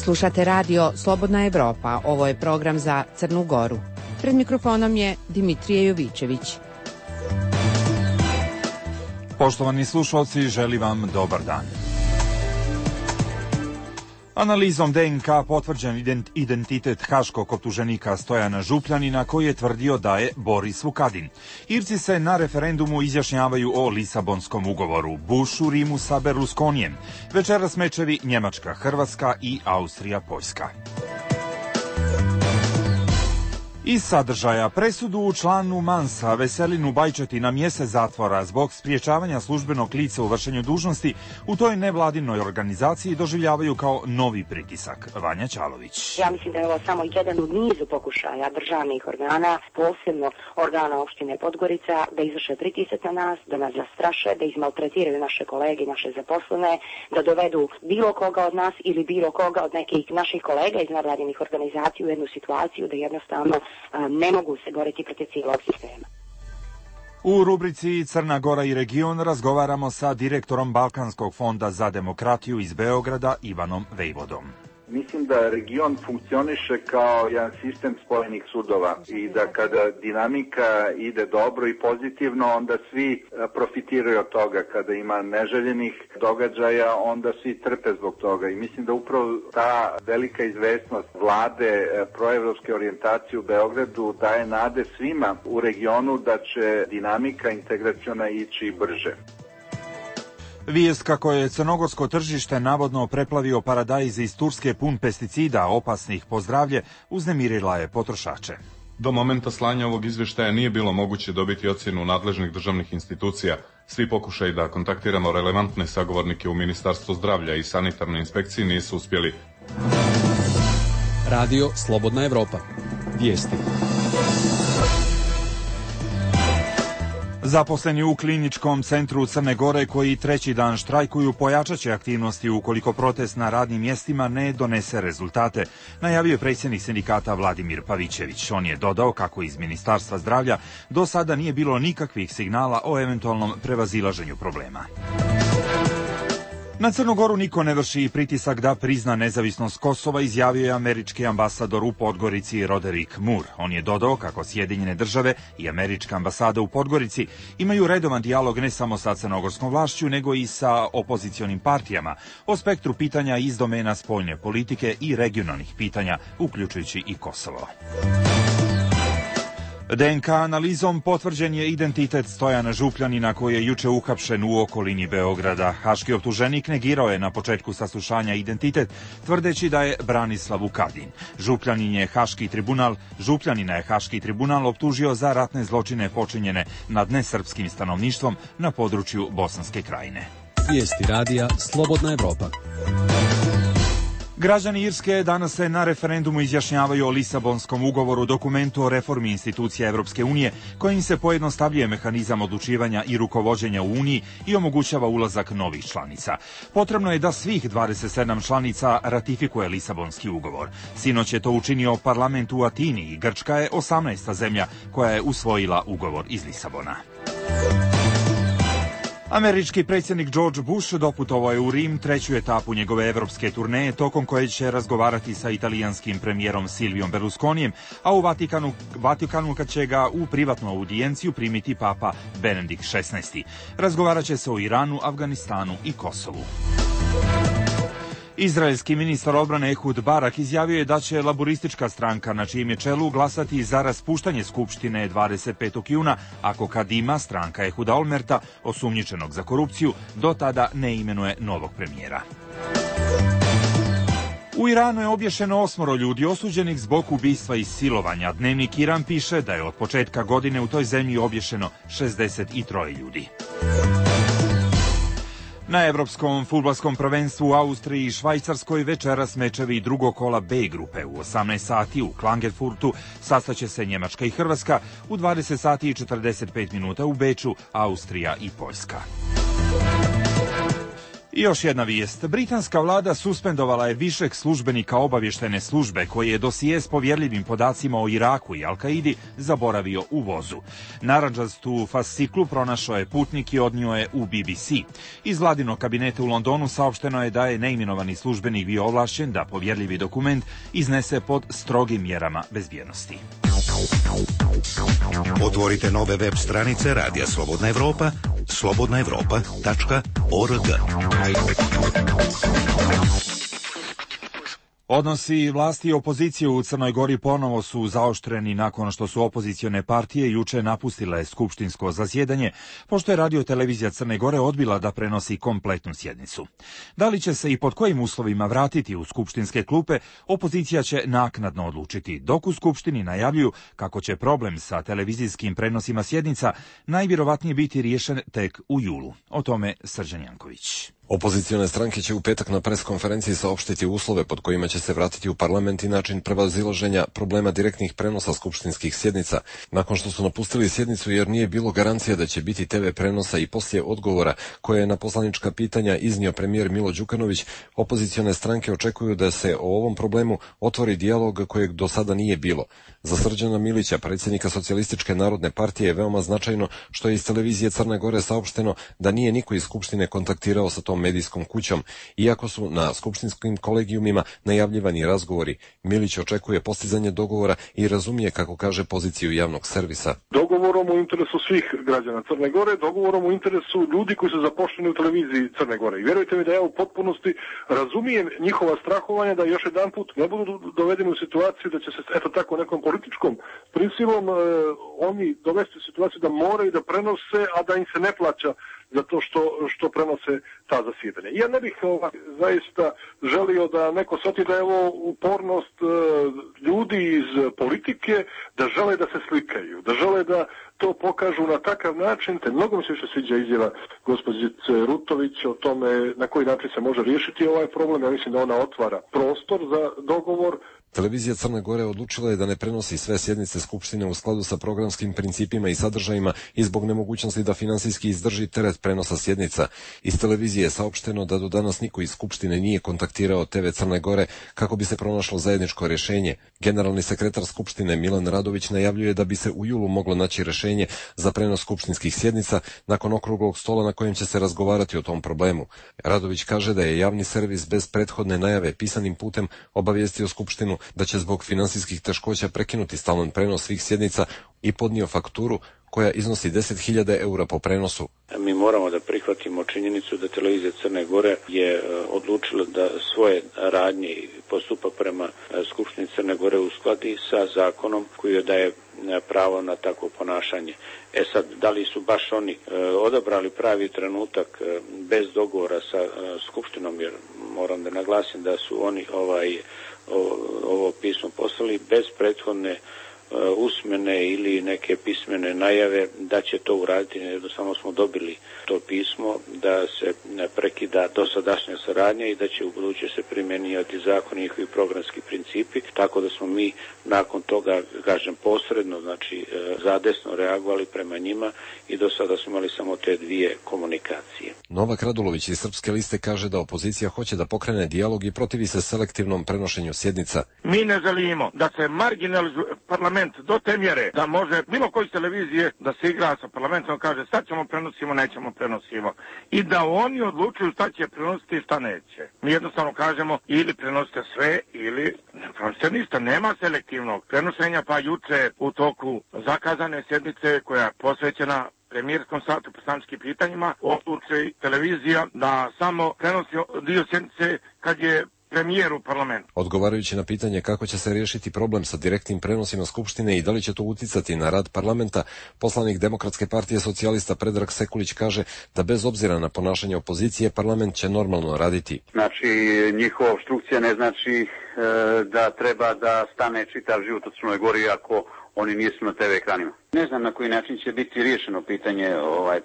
Slušate radio Slobodna Evropa. Ovo je program za Crnu Goru. Pred mikrofonom je Dimitrije Jovičević. Poštovani slušalci, želim vam dobar dan. Analizom DNK potvrđen identitet haškog optuženika Stojana Župljanina, koji je tvrdio da je Boris Vukadin. Irci se na referendumu izjašnjavaju o Lisabonskom ugovoru, Bush u Rimu sa Berlusconijem, večeras mečevi Njemačka, Hrvatska i Austrija, Poljska. Iz sadržaja: presudu u članu Mansa Veselinu Bajčeti na mjesec zatvora zbog spriječavanja službenog lica u vršenju dužnosti u toj nevladinoj organizaciji doživljavaju kao novi pritisak. Vanja Ćalović. Ja mislim da je ovo samo jedan u nizu pokušaja državnih organa, posebno organa opštine Podgorica, da izvrše pritisak na nas, da nas zastraše, da izmaltretiraju naše kolege i naše zaposlene, da dovedu bilo koga od nas ili bilo koga od nekih naših kolega iz nevladinih organizacija u jednu situaciju da jednostavno ne mogu se boriti protiv cijelog sistema. U rubrici Crna Gora i region razgovaramo sa direktorom Balkanskog fonda za demokratiju iz Beograda, Ivanom Vejvodom. Mislim da region funkcioniše kao jedan sistem spojenih sudova i da kada dinamika ide dobro i pozitivno, onda svi profitiraju od toga. Kada ima neželjenih događaja, onda svi trpe zbog toga. I mislim da upravo ta velika izvesnost vlade, proevropske orijentacije u Beogradu daje nade svima u regionu da će dinamika integraciona ići brže. Vijest kako je crnogorsko tržište navodno preplavio paradajz iz Turske pun pesticida opasnih po zdravlje uznemirila je potrošače. Do momenta slanja ovog izvještaja nije bilo moguće dobiti ocjenu nadležnih državnih institucija. Svi pokušaji da kontaktiramo relevantne sagovornike u Ministarstvu zdravlja i sanitarnoj inspekciji nisu uspjeli. Radio Slobodna Evropa. Vijesti. Zaposleni u kliničkom centru Crne Gore koji treći dan štrajkuju pojačat će aktivnosti ukoliko protest na radnim mjestima ne donese rezultate, najavio je predsjednik sindikata Vladimir Pavićević. On je dodao kako iz Ministarstva zdravlja do sada nije bilo nikakvih signala o eventualnom prevazilaženju problema. Na Crnu Goru niko ne vrši pritisak da prizna nezavisnost Kosova, izjavio je američki ambasador u Podgorici Roderick Moore. On je dodao kako Sjedinjene države i američka ambasada u Podgorici imaju redovan dijalog ne samo sa crnogorskom vlašću, nego i sa opozicionim partijama o spektru pitanja iz domena spoljne politike i regionalnih pitanja, uključujući i Kosovo. DNK analizom potvrđen je identitet Stojana Župljanina koji je juče uhapšen u okolini Beograda. Haški optuženik negirao je na početku saslušanja identitet, tvrdeći da je Branislav Vukadin. Župljanina je Haški tribunal optužio za ratne zločine počinjene nad nesrpskim stanovništvom na području Bosanske Krajine. Vijesti radija Slobodna Evropa. Građani Irske danas se na referendumu izjašnjavaju o Lisabonskom ugovoru, dokumentu o reformi institucija Evropske unije, kojim se pojednostavljuje mehanizam odlučivanja i rukovođenja u Uniji i omogućava ulazak novih članica. Potrebno je da svih 27 članica ratifikuje Lisabonski ugovor. Sinoć je to učinio parlament u Atini i Grčka je 18. zemlja koja je usvojila ugovor iz Lisabona. Američki predsjednik George Bush doputovao je u Rim, treću etapu njegove evropske turneje, tokom koje će razgovarati sa italijanskim premijerom Silvijom Berlusconijem, a u Vatikanu kad će ga u privatnu audijenciju primiti papa Benedikt XVI. Razgovarat će se o Iranu, Afganistanu i Kosovu. Izraelski ministar odbrane Ehud Barak izjavio je da će laboristička stranka na čijem je čelu glasati za raspuštanje Skupštine 25. juna ako Kadima, stranka Ehuda Olmerta, osumnjičenog za korupciju, do tada ne imenuje novog premijera. U Iranu je obješeno 8 ljudi osuđenih zbog ubistva i silovanja. Dnevnik Iran piše da je od početka godine u toj zemlji obješeno 63 ljudi. Na Evropskom fudbalskom prvenstvu u Austriji i Švajcarskoj večeras mečevi drugog kola B grupe. U 18 sati u Klagenfurtu sastaće se Njemačka i Hrvatska, u 20 sati i 45 minuta u Beču Austrija i Poljska. I još jedna vijest. Britanska vlada suspendovala je višeg službenika obavještajne službe koji je dosije s povjerljivim podacima o Iraku i Al-Kaidi zaboravio u vozu. Narandžastu fasciklu pronašao je putnik i odnio je u BBC. Iz vladinog kabineta u Londonu saopšteno je da je neimenovani službenik bio ovlašćen da povjerljivi dokument iznese pod strogim mjerama bezbjednosti. Otvorite nove web stranice Radija Slobodna Evropa, slobodnaevropa.org. Odnosi vlasti i opozicije u Crnoj Gori ponovo su zaoštreni nakon što su opozicione partije juče napustile skupštinsko zasjedanje, pošto je Radio-televizija Crne Gore odbila da prenosi kompletnu sjednicu. Da li će se i pod kojim uslovima vratiti u skupštinske klupe, opozicija će naknadno odlučiti, dok u skupštini najavljuju kako će problem sa televizijskim prenosima sjednica najvjerovatnije biti riješen tek u julu. O tome Srđan Janković. Opozicione stranke će u petak na preskonferenciji saopštiti uslove pod kojima će se vratiti u parlament i način prevazilaženja problema direktnih prenosa skupštinskih sjednica. Nakon što su napustili sjednicu jer nije bilo garancija da će biti TV prenosa i poslije odgovora koje je na poslanička pitanja iznio premijer Milo Đukanović, opozicione stranke očekuju da se o ovom problemu otvori dijalog kojeg do sada nije bilo. Za Srđana Milića, predsjednika Socijalističke narodne partije, je veoma značajno što je iz televizije Crne Gore saopšteno da nije niko iz Skupštine kontaktirao sa tom medijskom kućom, iako su na skupštinskim kolegijumima najavljivani razgovori. Milić očekuje postizanje dogovora i razumije, kako kaže, poziciju javnog servisa. Dogovorom u interesu svih građana Crne Gore, dogovorom u interesu ljudi koji su zaposleni u televiziji Crne Gore. I vjerujte mi da ja u potpunosti razumijem njihova strahovanja da još jedan put ne budu dovedeni u situaciju da će se eto tako nekom političkom prisilom oni dovesti u situaciju da moraju da prenose, a da im se ne plaća za to što prenose ta zasjedanja. Ja ne bih zaista želio da neko shvati da je ovo upornost ljudi iz politike, da žele da se slikaju, da žele da to pokažu na takav način. Te mnogo mi se više sviđa izjava gospođice Rutović o tome na koji način se može riješiti ovaj problem. Ja mislim da ona otvara prostor za dogovor. Televizija Crne Gore odlučila je da ne prenosi sve sjednice Skupštine u skladu sa programskim principima i sadržajima i zbog nemogućnosti da finansijski izdrži teret prenosa sjednica. Iz televizije je saopšteno da do danas niko iz Skupštine nije kontaktirao TV Crne Gore kako bi se pronašlo zajedničko rješenje. Generalni sekretar Skupštine Milan Radović najavljuje da bi se u julu moglo naći rješenje za prenos skupštinskih sjednica nakon okruglog stola na kojem će se razgovarati o tom problemu. Radović kaže da je javni servis bez prethodne najave pisanim putem obavijestio Skupštinu da će zbog finansijskih teškoća prekinuti stalan prenos svih sjednica i podnio fakturu koja iznosi 10.000 eura po prenosu. Mi moramo da prihvatimo činjenicu da televizija Crne Gore je odlučila da svoje radnje postupa prema Skupštini Crne Gore uskladi sa zakonom koji joj daje pravo na takvo ponašanje. Sad, da li su baš oni odabrali pravi trenutak bez dogovora sa Skupštinom, jer moram da naglasim da su oni ovo pismo poslali bez prethodne usmene ili neke pismene najave da će to uraditi. Jednostavno smo dobili to pismo da se prekida dosadašnja saradnja i da će u buduće se primjenjivati zakoni i njihovi programski principi, tako da smo mi nakon toga, kažem, posredno, znači zadesno reagovali prema njima i do sada smo imali samo te dvije komunikacije. Novak Radulović iz Srpske liste kaže da opozicija hoće da pokrene dijalog i protivi se selektivnom prenošenju sjednica. Mi ne želimo da se marginalizuje parlament do te mjere da može bilo koji televizije da se igra sa parlamentom, kaže sad ćemo prenosimo, nećemo prenosimo. I da oni odlučuju šta će prenositi i šta neće. Mi jednostavno kažemo ili prenosite sve ili ne prenosite ništa. Nema selektivnog prenošenja, pa juče u toku zakazane sjednice koja je posvećena premijerskom satu poslaničkim pitanjima odluči televizija da samo prenosi dio sjednice kad je premijer u parlamentu. Odgovarajući na pitanje kako će se riješiti problem sa direktnim prenosima Skupštine i da li će to uticati na rad parlamenta, poslanik Demokratske partije socijalista Predrag Sekulić kaže da bez obzira na ponašanje opozicije, parlament će normalno raditi. Znači, njihova opstrukcija ne znači da treba da stane čitav život u Crnoj Gori ako oni nisu na TV ekranima. Ne znam na koji način će biti riješeno pitanje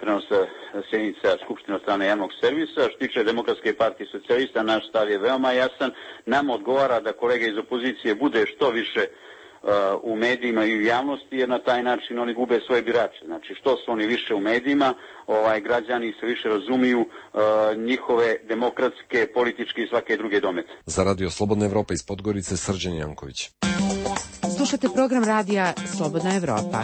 prenosa sjednica Skupštine od strane javnog servisa. Što tiče Demokratske partije socijalista, naš stav je veoma jasan. Nam odgovara da kolege iz opozicije bude što više u medijima i u javnosti, jer na taj način oni gube svoje birače. Znači, što su oni više u medijima, građani se više razumiju njihove demokratske, političke i svake druge domete. Za Radio Slobodna Evropa iz Podgorice, Srđan Janković. Slušate program radija Slobodna Evropa.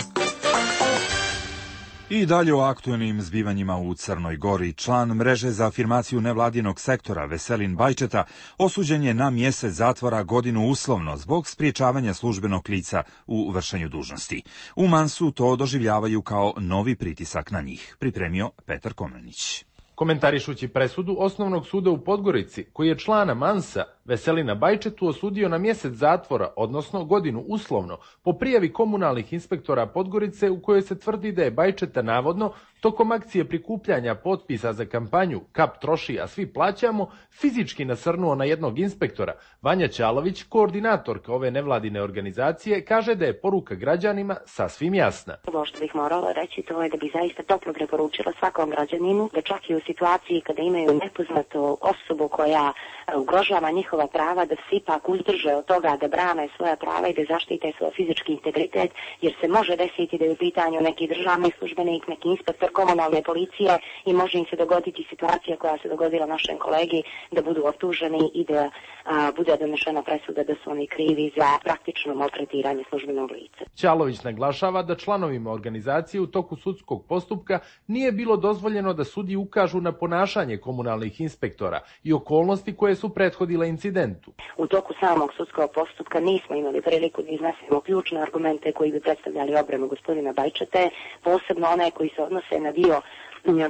I dalje o aktuelnim zbivanjima u Crnoj Gori. Član mreže za afirmaciju nevladinog sektora Veselin Bajčeta osuđen je na mjesec zatvora, godinu uslovno zbog spriječavanja službenog lica u vršenju dužnosti. U Mansu to doživljavaju kao novi pritisak na njih. Pripremio Petar Komlenić. Komentarišući presudu Osnovnog suda u Podgorici, koji je člana Mansa Veselina Bajčetu osudio na mjesec zatvora, odnosno godinu uslovno, po prijavi komunalnih inspektora Podgorice u kojoj se tvrdi da je Bajčeta navodno tokom akcije prikupljanja potpisa za kampanju Kap troši, a svi plaćamo, fizički nasrnuo na jednog inspektora. Vanja Ćalović, koordinatorka ove nevladine organizacije, kaže da je poruka građanima sasvim jasna. Ovo što bih morala reći, to je da bi zaista toplo preporučila svakom građaninu da čak i u situaciji kada imaju nepoznatu osobu koja ugrožava njihova prava, da se ipak uzdrže od toga da brane svoja prava i da zaštite svoj fizički integritet, jer se može desiti da je u pitanju neki državni službenik, neki inspektor komunalne policije i može im se dogoditi situacija koja se dogodila našem kolegi, da budu optuženi i da bude donešena presuda da su oni krivi za praktično maltretiranje službenog lica. Ćalović naglašava da članovima organizacije u toku sudskog postupka nije bilo dozvoljeno da sudiji ukažu na ponašanje komunalnih inspektora i okolnosti koje su prethodile incidentu. U toku samog sudskog postupka nismo imali priliku da iznesemo ključne argumente koji bi predstavljali obranu gospodina Bajčete, posebno one koji se odnose na dio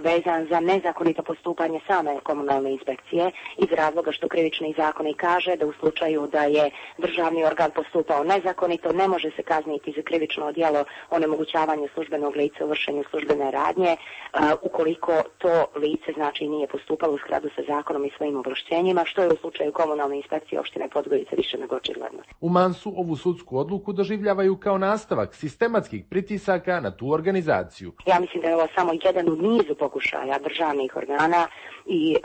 vezan za nezakonito postupanje same komunalne inspekcije, iz razloga što krivični zakonik kaže da u slučaju da je državni organ postupao nezakonito ne može se kazniti za krivično djelo onemogućavanja službenog lica u vršenju službene radnje ukoliko to lice znači nije postupalo u skladu sa zakonom i svojim ovlašćenjima, što je u slučaju komunalne inspekcije opštine Podgorica više nego očigledno. U Mansu ovu sudsku odluku doživljavaju kao nastavak sistematskih pritisaka na tu organizaciju. Ja mislim da je ovo samo jedan od nizu pokušaja državnih organa i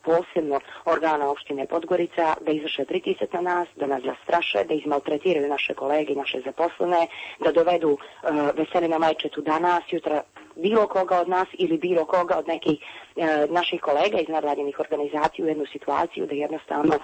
posebno organa opštine Podgorica da izvrše pritisak na nas, da nas zastraše, da izmaltretiraju naše kolege i naše zaposlene, da dovedu Veselina Bajčetu danas, sutra bilo koga od nas ili bilo koga od nekih naših kolega iz nevladinih organizacija u jednu situaciju da jednostavno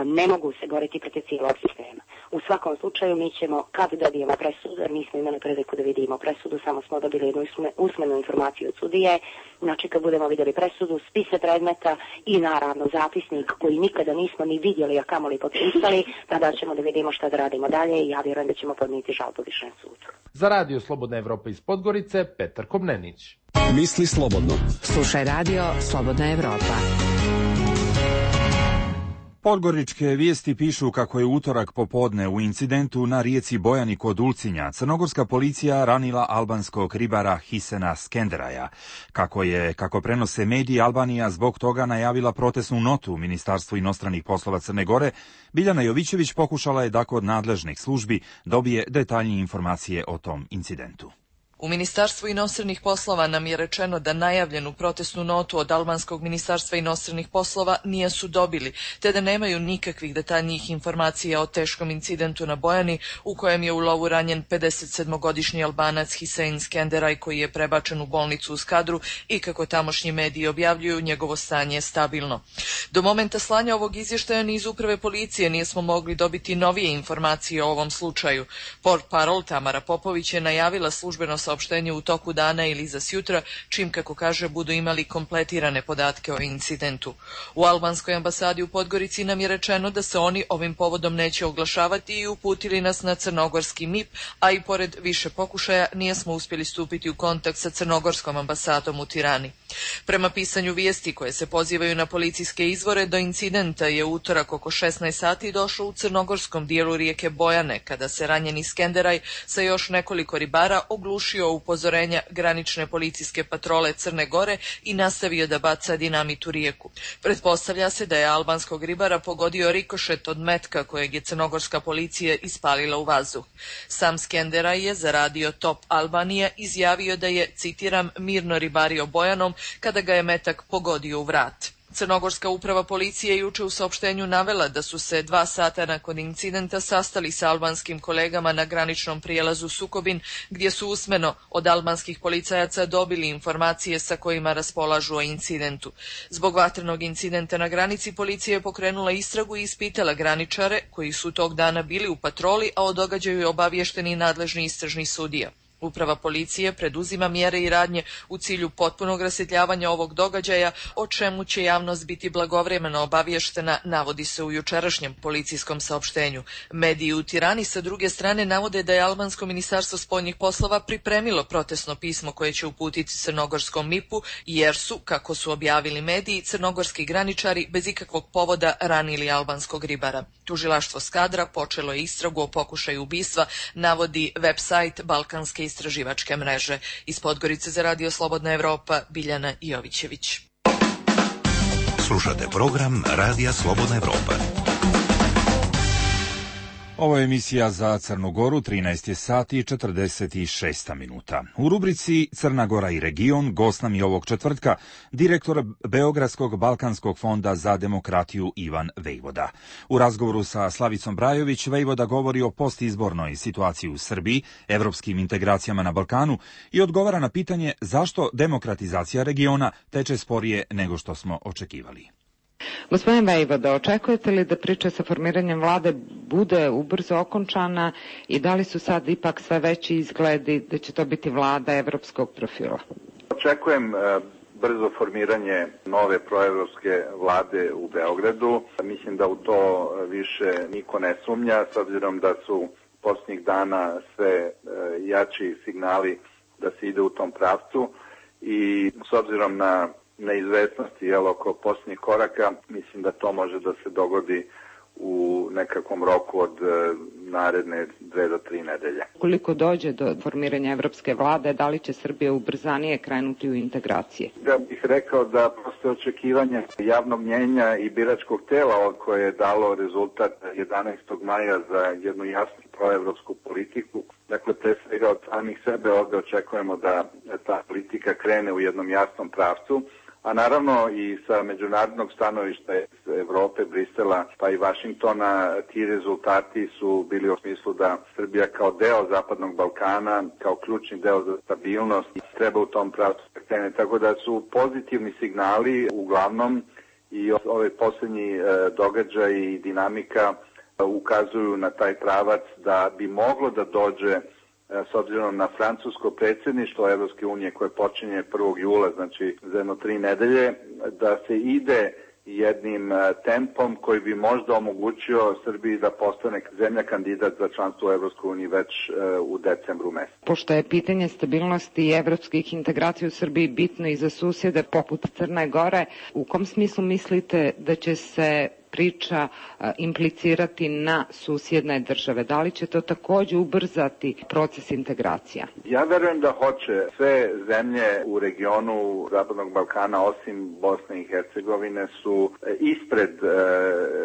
ne mogu se boriti protiv cijelog sistema. U svakom slučaju mi ćemo, kad dobijemo presudu, jer nismo imali priliku da vidimo presudu, samo smo dobili jednu usmenu informaciju od sudije, znači kad budemo vidjeli presudu, spise predmeta i naravno zapisnik koji nikada nismo ni vidjeli, a kamoli potpisali, tada ćemo da vidimo šta da radimo dalje i ja vjerujem da ćemo podnijeti žalbu Višem sudu. Za Radio Slobodna Evropa iz Podgorice, Petar Komnenić. Misli slobodno. Slušaj Radio Slobodna Evropa. Podgoričke vijesti pišu kako je utorak popodne u incidentu na rijeci Bojani kod Ulcinja crnogorska policija ranila albanskog ribara Hisena Skenderaja. Kako prenose mediji, Albanija zbog toga najavila protestnu notu Ministarstvu inostranih poslova Crne Gore. Biljana Jovićević pokušala je da kod nadležnih službi dobije detaljnije informacije o tom incidentu. U Ministarstvu inostranih poslova nam je rečeno da najavljenu protestnu notu od albanskog ministarstva inostranih poslova nisu dobili, te da nemaju nikakvih detaljnijih informacija o teškom incidentu na Bojani u kojem je u lovu ranjen 57-godišnji Albanac Hisein Skenderaj koji je prebačen u bolnicu u Skadru i kako tamošnji mediji objavljuju, njegovo stanje je stabilno. Do momenta slanja ovog izvještaja ni iz uprave policije nismo mogli dobiti novije informacije o ovom slučaju. Portparol Tamara Popović je najavila službeno saopštenje u toku dana ili za sjutra, čim, kako kaže, budu imali kompletirane podatke o incidentu. U albanskoj ambasadi u Podgorici nam je rečeno da se oni ovim povodom neće oglašavati i uputili nas na crnogorski MIP, a i pored više pokušaja nismo uspjeli stupiti u kontakt sa crnogorskom ambasadom u Tirani. Prema pisanju vijesti koje se pozivaju na policijske izvore, do incidenta je utorak oko 16 sati došlo u crnogorskom dijelu rijeke Bojane, kada se ranjeni Skenderaj sa još nekoliko ribara oglušio upozorenja granične policijske patrole Crne Gore i nastavio da baca dinamit u rijeku. Pretpostavlja se da je albanskog ribara pogodio rikošet od metka kojeg je crnogorska policija ispalila u vazduh. Sam Skenderaj je za radio Top Albanija izjavio da je, citiram, mirno ribario Bojanom kada ga je metak pogodio u vrat. Crnogorska uprava policije juče u saopštenju navela da su se 2 sata nakon incidenta sastali sa albanskim kolegama na graničnom prijelazu Sukobin, gdje su usmeno od albanskih policajaca dobili informacije sa kojima raspolažu o incidentu. Zbog vatrenog incidenta na granici policija je pokrenula istragu i ispitala graničare koji su tog dana bili u patroli, a o događaju je obaviješteni nadležni istražni sudija. Uprava policije preduzima mjere i radnje u cilju potpunog rasvjetljavanja ovog događaja, o čemu će javnost biti blagovremeno obavještena, navodi se u jučerašnjem policijskom saopštenju. Mediji u Tirani sa druge strane navode da je albansko ministarstvo spoljnih poslova pripremilo protestno pismo koje će uputiti crnogorskom MIP-u, jer su, kako su objavili mediji, crnogorski graničari bez ikakvog povoda ranili albanskog ribara. Tužilaštvo Skadra počelo je istragu o pokušaju ubistva, navodi website Balkanske istraživačke mreže. Iz Podgorice za Radio Slobodna Evropa, Biljana Jovićević. Slušate program Radija Slobodna Evropa. Ovo je emisija za Crnu Goru, 13 je sati i 46 minuta. U rubrici Crna Gora i region gost nam je ovog četvrtka direktor Beogradskog Balkanskog fonda za demokratiju Ivan Vejvoda. U razgovoru sa Slavicom Brajović, Vejvoda govori o postizbornoj situaciji u Srbiji, evropskim integracijama na Balkanu i odgovara na pitanje zašto demokratizacija regiona teče sporije nego što smo očekivali. Gospodin Vejvoda, očekujete li da priča sa formiranjem vlade bude ubrzo okončana i da li su sad ipak sve veći izgledi da će to biti vlada evropskog profila? Očekujem brzo formiranje nove proevropske vlade u Beogradu. Mislim da u to više niko ne sumnja, s obzirom da su posljednjih dana sve jači signali da se ide u tom pravcu i s obzirom na neizvesnosti oko posljednjih koraka, mislim da to može da se dogodi u nekakvom roku od naredne 2 do 3 nedelje. Koliko dođe do formiranja evropske vlade, da li će Srbija ubrzanije krenuti u integracije? Ja bih rekao da postoje očekivanje javnog mnjenja i biračkog tela koje je dalo rezultat 11. maja za jednu jasnu proevropsku politiku. Dakle, pre svega od samih sebe ovde očekujemo da ta politika krene u jednom jasnom pravcu, a naravno i sa međunarodnog stanovišta Evrope, Brisela pa i Vašingtona ti rezultati su bili u smislu da Srbija kao deo Zapadnog Balkana, kao ključni deo za stabilnost treba u tom pravcu krene. Tako da su pozitivni signali uglavnom i ove posljednji događaji i dinamika ukazuju na taj pravac da bi moglo da dođe s obzirom na francusko predsjedništvo Evropske unije koje počinje 1. jula, znači za 3 nedelje, da se ide jednim tempom koji bi možda omogućio Srbiji da postane zemlja kandidat za članstvo u Evropskoj uniji već u decembru mesecu. Pošto je pitanje stabilnosti i evropskih integracija u Srbiji bitno i za susjede poput Crne Gore, u kom smislu mislite da će se priča implicirati na susjedne države? Da li će to također ubrzati proces integracija? Ja verujem da hoće. Sve zemlje u regionu Zapadnog Balkana, osim Bosne i Hercegovine, su ispred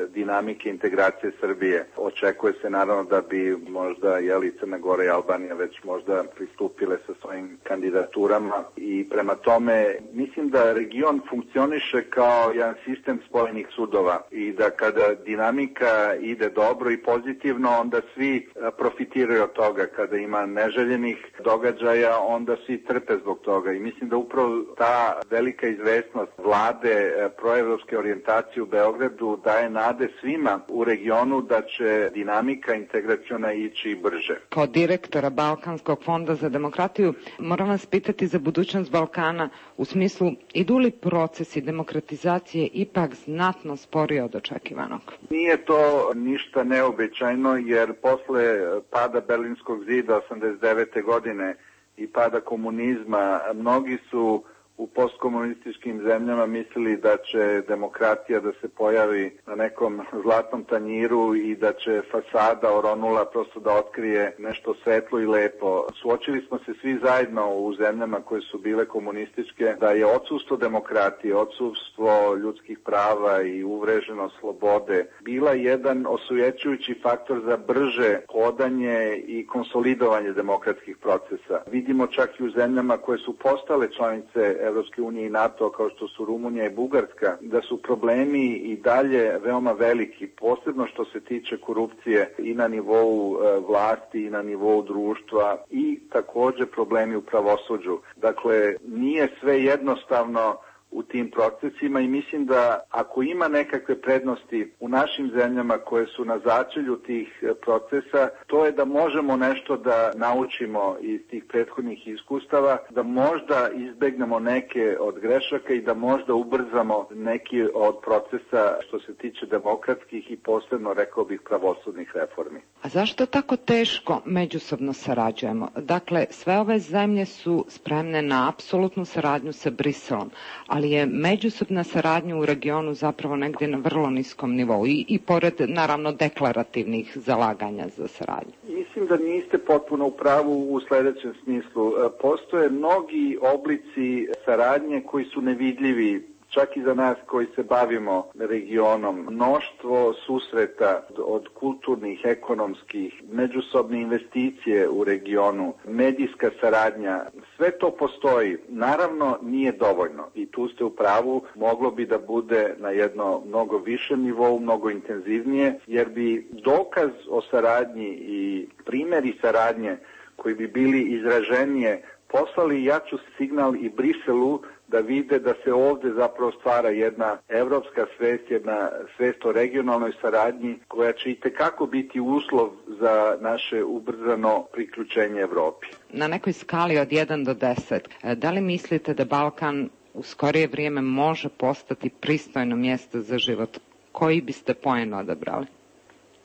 dinamike integracije Srbije. Očekuje se naravno da bi možda Crna Gora i Albanija već možda pristupile sa svojim kandidaturama i prema tome mislim da region funkcioniše kao jedan sistem spojenih sudova i da kada dinamika ide dobro i pozitivno, onda svi profitiraju od toga. Kada ima neželjenih događaja, onda svi trpe zbog toga. I mislim da upravo ta velika izvesnost vlade proevropske orijentacije u Beogradu daje nade svima u regionu da će dinamika integraciona ići brže. Kao direktora Balkanskog fonda za demokratiju, moram vas pitati za budućnost Balkana u smislu idu li procesi demokratizacije ipak znatno sporije od očekivanog? Nije to ništa neobičajno jer posle pada Berlinskog zida 89. godine i pada komunizma mnogi su u postkomunističkim zemljama mislili da će demokratija da se pojavi na nekom zlatnom tanjiru i da će fasada oronula prosto da otkrije nešto svetlo i lepo. Suočili smo se svi zajedno u zemljama koje su bile komunističke da je odsustvo demokratije, odsustvo ljudskih prava i uvreženost slobode bila jedan osujećujući faktor za brže hodanje i konsolidovanje demokratskih procesa. Vidimo čak i u zemljama koje su postale članice Evropske unije i NATO, kao što su Rumunija i Bugarska, da su problemi i dalje veoma veliki, posebno što se tiče korupcije i na nivou vlasti i na nivou društva i takođe problemi u pravosuđu. Dakle, nije sve jednostavno u tim procesima i mislim da ako ima nekakve prednosti u našim zemljama koje su na začelju tih procesa, to je da možemo nešto da naučimo iz tih prethodnih iskustava, da možda izbegnemo neke od grešaka i da možda ubrzamo neki od procesa što se tiče demokratskih i posebno, rekao bih, pravosudnih reformi. A zašto tako teško međusobno sarađujemo? Dakle, sve ove zemlje su spremne na apsolutnu saradnju sa Briselom, ali je međusobna saradnja u regionu zapravo negdje na vrlo niskom nivou i pored, naravno, deklarativnih zalaganja za saradnju. Mislim da niste potpuno u pravu u sledećem smislu. Postoje mnogi oblici saradnje koji su nevidljivi, čak i za nas koji se bavimo regionom. Mnoštvo susreta od kulturnih, ekonomskih, međusobne investicije u regionu, medijska saradnja, sve to postoji. Naravno, nije dovoljno i tu ste u pravu, moglo bi da bude na jedno mnogo višem nivou, mnogo intenzivnije, jer bi dokaz o saradnji i primjeri saradnje koji bi bili izraženije poslali jaču signal i Briselu da vide da se ovde zapravo stvara jedna evropska svest, jedna svest o regionalnoj saradnji koja će itekako biti uslov za naše ubrzano priključenje Evropi. Na nekoj skali od 1 do 10, da li mislite da Balkan u skorije vrijeme može postati pristojno mjesto za život? Koji biste poen odabrali?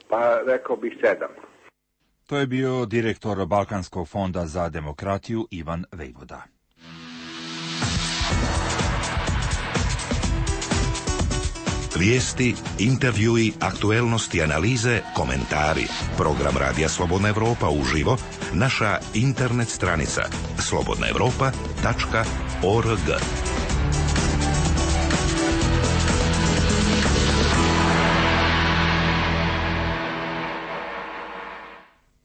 Pa rekao bih 7. To je bio direktor Balkanskog fonda za demokratiju Ivan Vejvoda. Vijesti, intervjui, aktuelnosti, analize, komentari. Program Radija Slobodna Evropa uživo, naša internet stranica slobodnaevropa.org.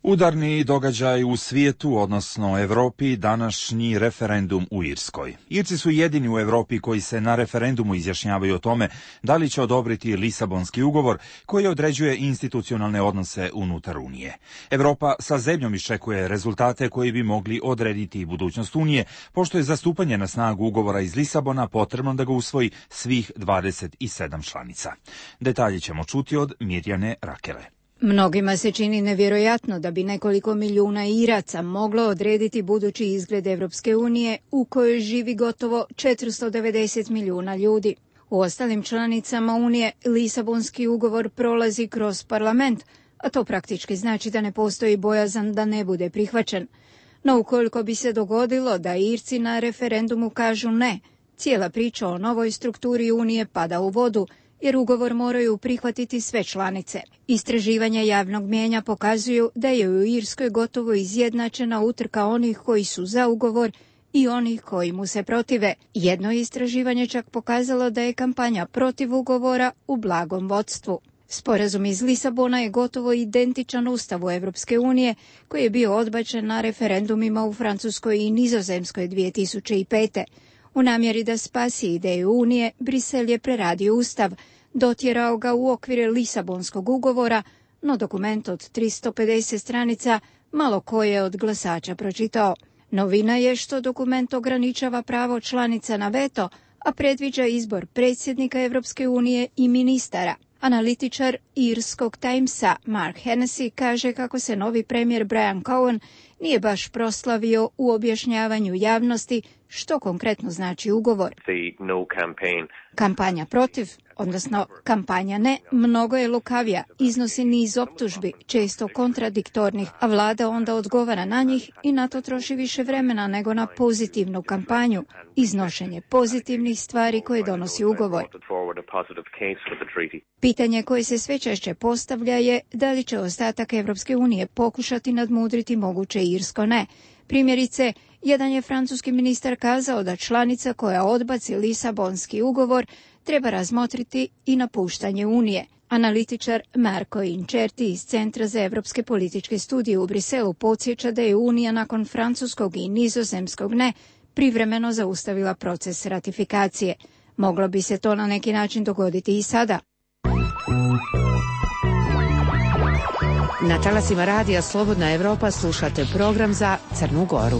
Udarni događaj u svijetu, odnosno Evropi, današnji referendum u Irskoj. Irci su jedini u Evropi koji se na referendumu izjašnjavaju o tome da li će odobriti Lisabonski ugovor koji određuje institucionalne odnose unutar Unije. Evropa sa zebnjom iščekuje rezultate koji bi mogli odrediti budućnost Unije, pošto je za stupanje na snagu ugovora iz Lisabona potrebno da ga usvoji svih 27 članica. Detalje ćemo čuti od Mirjane Rakele. Mnogima se čini nevjerojatno da bi nekoliko milijuna Iraca moglo odrediti budući izgled Evropske unije u kojoj živi gotovo 490 milijuna ljudi. U ostalim članicama Unije Lisabonski ugovor prolazi kroz parlament, a to praktički znači da ne postoji bojazan da ne bude prihvaćen. No ukoliko bi se dogodilo da Irci na referendumu kažu ne, cijela priča o novoj strukturi Unije pada u vodu, jer ugovor moraju prihvatiti sve članice. Istraživanja javnog mijenja pokazuju da je u Irskoj gotovo izjednačena utrka onih koji su za ugovor i onih koji mu se protive. Jedno istraživanje čak pokazalo da je kampanja protiv ugovora u blagom vodstvu. Sporazum iz Lisabona je gotovo identičan Ustavu Evropske unije, koji je bio odbačen na referendumima u Francuskoj i Nizozemskoj 2005. U namjeri da spasi ideju Unije, Brisel je preradio Ustav, dotjerao ga u okvire Lisabonskog ugovora, no dokument od 350 stranica malo ko je od glasača pročitao. Novina je što dokument ograničava pravo članica na veto, a predviđa izbor predsjednika Evropske unije i ministara. Analitičar irskog Timesa Mark Hennessy kaže kako se novi premijer Brian Cowen nije baš proslavio u objašnjavanju javnosti što konkretno znači ugovor. Kampanja protiv, odnosno kampanja ne, mnogo je lukavija, iznosi niz optužbi, često kontradiktornih, a vlada onda odgovara na njih i na to troši više vremena nego na pozitivnu kampanju, iznošenje pozitivnih stvari koje donosi ugovor. Pitanje koje se sve češće postavlja je da li će ostatak Evropske unije pokušati nadmudriti moguće irsko ne. Primjerice, jedan je francuski ministar kazao da članica koja odbaci Lisabonski ugovor treba razmotriti i napuštanje Unije. Analitičar Marko Incerti iz Centra za evropske političke studije u Briselu podsjeća da je Unija nakon francuskog i nizozemskog ne privremeno zaustavila proces ratifikacije. Moglo bi se to na neki način dogoditi i sada. Na talasima radija Slobodna Evropa slušate program za Crnu Goru.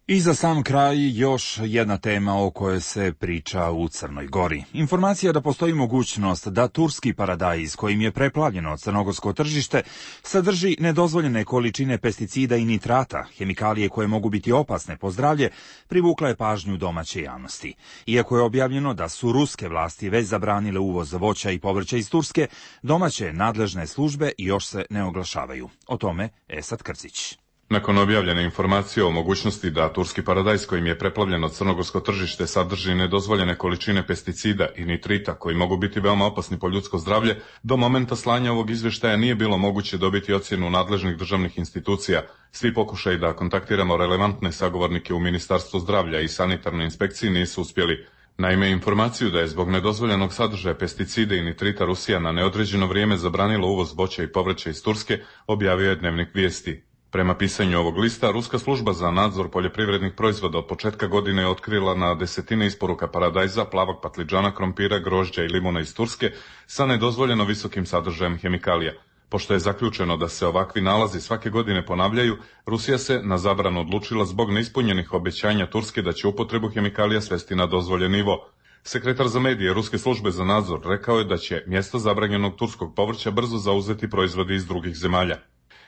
I za sam kraj još jedna tema o kojoj se priča u Crnoj Gori. Informacija da postoji mogućnost da turski paradajz kojim je preplavljeno crnogorsko tržište sadrži nedozvoljene količine pesticida i nitrata, hemikalije koje mogu biti opasne po zdravlje, privukla je pažnju domaće javnosti. Iako je objavljeno da su ruske vlasti već zabranile uvoz voća i povrća iz Turske, domaće nadležne službe još se ne oglašavaju. O tome Esad Krcić. Nakon objavljene informacije o mogućnosti da turski paradajz kojim je preplavljeno crnogorsko tržište sadrži nedozvoljene količine pesticida i nitrita koji mogu biti veoma opasni po ljudsko zdravlje, do momenta slanja ovog izvještaja nije bilo moguće dobiti ocjenu nadležnih državnih institucija. Svi pokušaji da kontaktiramo relevantne sagovornike u Ministarstvu zdravlja i sanitarnoj inspekciji nisu uspjeli. Naime, informaciju da je zbog nedozvoljenog sadržaja pesticida i nitrita Rusija na neodređeno vrijeme zabranila uvoz voća i povrća iz Turske, objavio je Dnevnik Vijesti. Prema pisanju ovog lista, Ruska služba za nadzor poljoprivrednih proizvoda od početka godine je otkrila na desetine isporuka paradajza, plavog patliđana, krompira, grožđa i limuna iz Turske sa nedozvoljeno visokim sadržajem hemikalija. Pošto je zaključeno da se ovakvi nalazi svake godine ponavljaju, Rusija se na zabranu odlučila zbog neispunjenih obećanja Turske da će upotrebu hemikalija svesti na dozvoljen nivo. Sekretar za medije Ruske službe za nadzor rekao je da će mjesto zabranjenog turskog povrća brzo zauzeti proizvodi iz drugih zemalja.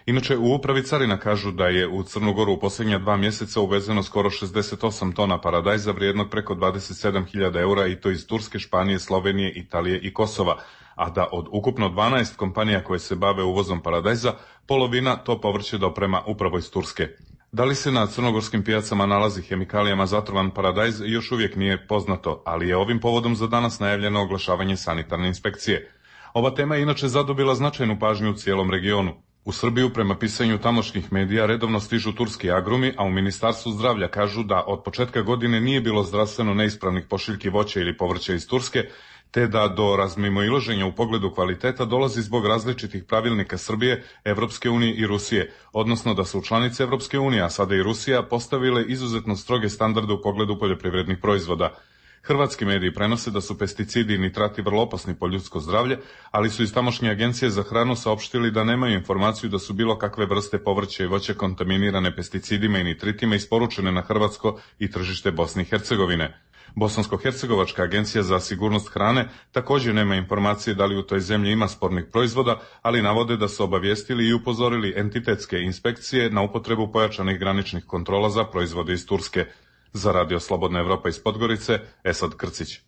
Inače, u upravi carina kažu da je u Crnu Goru u posljednja 2 mjeseca uvezeno skoro 68 tona paradajza vrijednog preko 27.000 eura i to iz Turske, Španije, Slovenije, Italije i Kosova, a da od ukupno 12 kompanija koje se bave uvozom paradajza, polovina to povrće doprema upravo iz Turske. Da li se na crnogorskim pijacama nalazi hemikalijama zatrovan paradajz još uvijek nije poznato, ali je ovim povodom za danas najavljeno oglašavanje sanitarne inspekcije. Ova tema je inače zadobila značajnu pažnju u cijelom regionu. U Srbiju, prema pisanju tamošnjih medija, redovno stižu turski agrumi, a u Ministarstvu zdravlja kažu da od početka godine nije bilo zdravstveno neispravnih pošiljki voća ili povrća iz Turske, te da do razmimoilaženja u pogledu kvaliteta dolazi zbog različitih pravilnika Srbije, Evropske unije i Rusije, odnosno da su članice Evropske unije, a sada i Rusija, postavile izuzetno stroge standarde u pogledu poljoprivrednih proizvoda. Hrvatski mediji prenose da su pesticidi i nitrati vrlo opasni po ljudsko zdravlje, ali su iz tamošnje agencije za hranu saopštili da nemaju informaciju da su bilo kakve vrste povrća i voća kontaminirane pesticidima i nitritima isporučene na hrvatsko i tržište Bosne i Hercegovine. Bosansko-hercegovačka agencija za sigurnost hrane također nema informacije da li u toj zemlji ima spornih proizvoda, ali navode da su obavijestili i upozorili entitetske inspekcije na upotrebu pojačanih graničnih kontrola za proizvode iz Turske. Za Radio Slobodna Evropa iz Podgorice, Esad Krcić.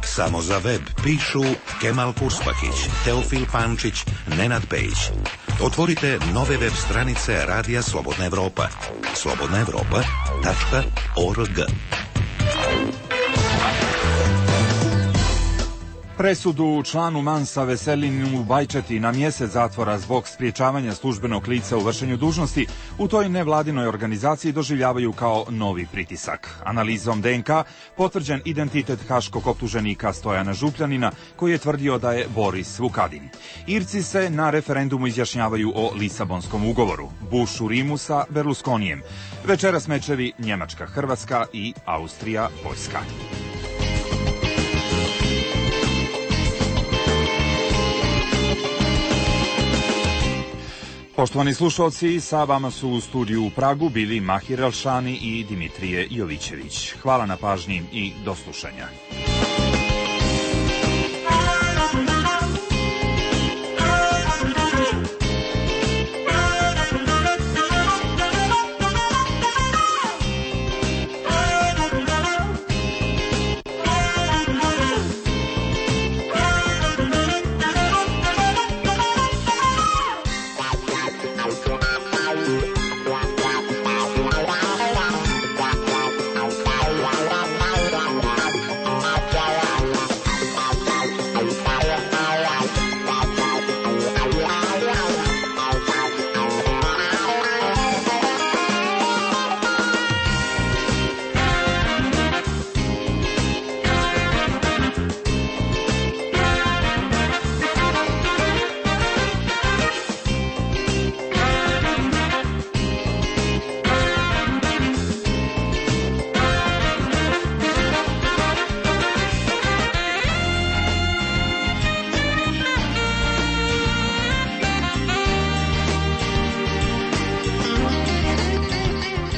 Samo za web pišu Kemal Kurspakić, Teofil Pančić, Nenad Pejić. Otvorite nove web stranice Radija Slobodna Evropa. slobodnaevropa.org. Presudu članu Mansa Veselinu Bajčeti na mjesec zatvora zbog spriječavanja službenog lica u vršenju dužnosti u toj nevladinoj organizaciji doživljavaju kao novi pritisak. Analizom DNK potvrđen identitet haškog optuženika Stojana Župljanina koji je tvrdio da je Boris Vukadin. Irci se na referendumu izjašnjavaju o Lisabonskom ugovoru, Bush u Rimu sa Berlusconijem. Večeras mečevi Njemačka, Hrvatska i Austrija, Poljska. Poštovani slušalci, sa vama su u studiju u Pragu bili Mahir Elšani i Dimitrije Jovićević. Hvala na pažnji i do slušanja.